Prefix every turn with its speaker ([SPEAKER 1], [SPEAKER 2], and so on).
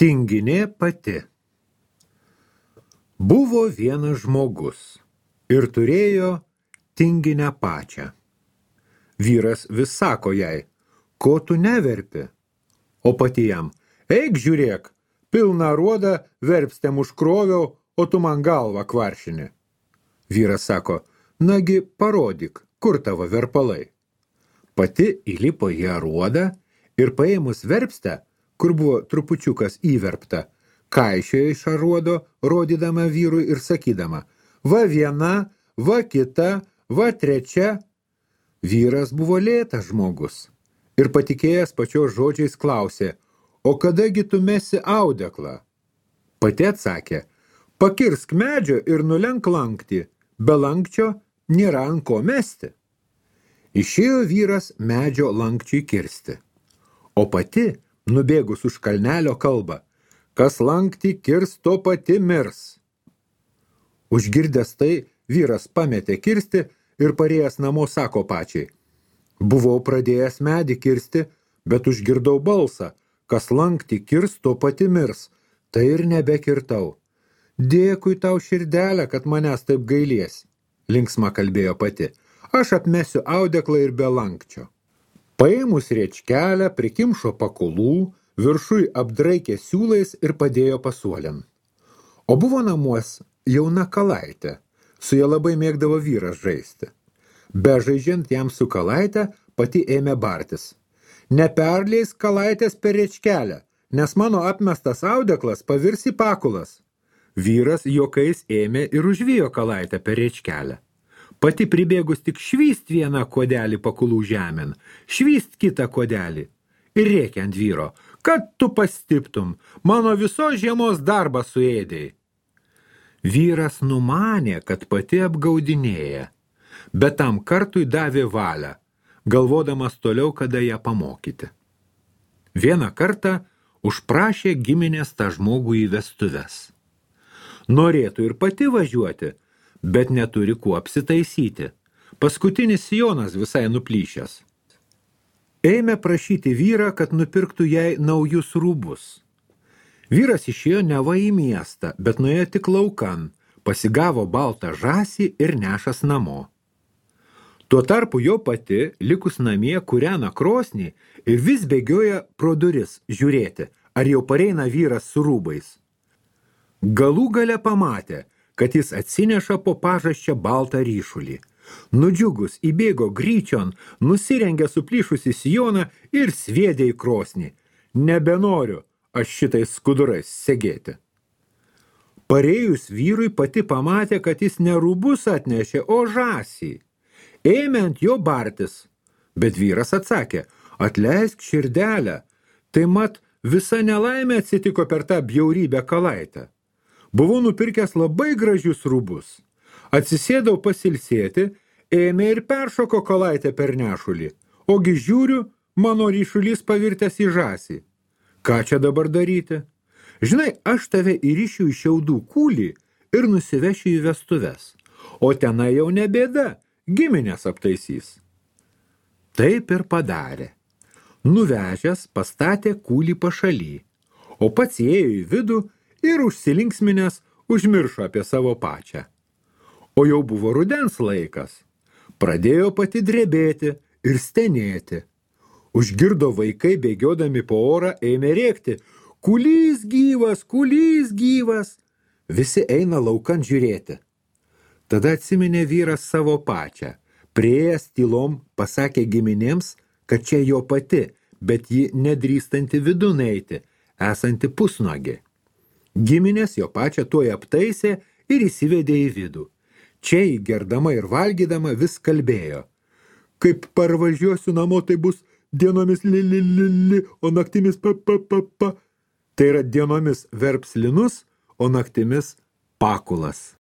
[SPEAKER 1] Tinginė pati. Buvo vienas žmogus ir turėjo tinginę pačią. Vyras vis sako jai, ko tu neverpi? O pati jam, eik žiūrėk, pilną aruodą verpstėm užkroviau, o tu man galvą kvaršini. Vyras sako, nagi parodyk, kur tavo verpalai. Pati įlipo į aruodą ir paėmus verpstę, kur buvo trupučiukas įverpta, kaišiojo iš aruodo, rodydama vyrui ir sakydama, va viena, va kita, va trečia. Vyras buvo lėtas žmogus ir patikėjęs pačios žodžiais klausė, o kadagi tu mesi audeklą? Pati atsakė, pakirsk medžio ir nulenk lankti, be lankčio nėra ant ko mesti. Išėjo vyras medžio lankčiui kirsti, o pati, nubėgus už kalnelio kalba, kas lankti kirs, to pati mirs. Užgirdęs tai, vyras pametė kirsti ir parėjęs namo sako pačiai, buvau pradėjęs medį kirsti, bet užgirdau balsą, kas lankti kirs, to pati mirs, tai ir nebekirtau. Dėkui tau širdelę, kad manęs taip gailies, linksma kalbėjo pati, aš apmesiu audeklą ir be lankčio. Paėmus riečkelę, prikimšo pakulų, viršui apdraikė siūlais ir padėjo pasuolin. O buvo namuos jauna kalaitė, su ja labai mėgdavo vyras žaisti. Bežaidžiant jam su kalaitė, pati ėmė bartis. Neperleis kalaitės per riečkelę, nes mano apmestas audeklas pavirs į pakulas. Vyras juokais ėmė ir užvijo kalaitę per riečkelę. Pati pribėgus tik švyst vieną kodelį pakulų žemėn, švyst kitą kodelį ir rėkia ant vyro, kad tu pastiptum, mano visos žiemos darbą suėdėjai. Vyras numanė, kad pati apgaudinėja, bet tam kartui davė valią, galvodamas toliau, kada ją pamokyti. Vieną kartą užprašė giminės tą žmogų į vestuves. Norėtų ir pati važiuoti, bet neturi kuo apsitaisyti. Paskutinis sijonas visai nuplyšęs. Ėmė prašyti vyrą, kad nupirktų jai naujus rūbus. Vyras išėjo neva į miestą, bet nuėjo tik laukan, pasigavo baltą žąsį ir nešas namo. Tuo tarpu jo pati, likus namie, kūrena krosnį ir vis bėgioja pro duris žiūrėti, ar jau pareina vyras su rūbais. Galų gale pamatė, kad jis atsineša po pažasčią baltą ryšulį. Nudžiugus įbėgo gryčion, nusirengė suplyšusį sijoną ir sviedė į krosnį. Nebenoriu aš šitais skudurais segėti. Parėjus vyrui pati pamatė, kad jis ne rūbus atnešė, o žąsį. Ėmė ant jo bartis, bet vyras atsakė, atleisk širdelę, tai mat visa nelaimė atsitiko per tą bjaurybę kalaitę. Buvau nupirkęs labai gražius rūbus. Atsisėdau pasilsėti, ėmė ir peršoko kalaitę per nešulį. Ogi žiūriu, mano ryšulys pavirtęs į žąsį. Ką čia dabar daryti? Žinai, aš tave įrišiu į šiaudų kūlį ir nusivešiu į vestuves. O tenai jau ne bėda, giminės aptaisys. Taip ir padarė. Nuvežęs pastatė kūlį pašaly, o pats ėjo į vidų ir užsilinksminęs užmiršo apie savo pačią. O jau buvo rudens laikas. Pradėjo pati drebėti ir stenėti. Užgirdo vaikai bėgiodami po orą, ėmė rėkti, kulys gyvas, kulys gyvas. Visi eina laukan žiūrėti. Tada atsiminė vyras savo pačią. Priėjęs tylom pasakė giminėms, kad čia jo pati, bet ji nedrįstanti vidun eiti, esanti pusnuogė. Giminės jo pačią tuoj aptaisė ir įsivedė į vidų. Čia įgerdama ir valgydama vis kalbėjo. Kaip parvažiuosiu namo, tai bus dienomis li, o naktimis pa. Tai yra dienomis verps linus, o naktimis pakulas.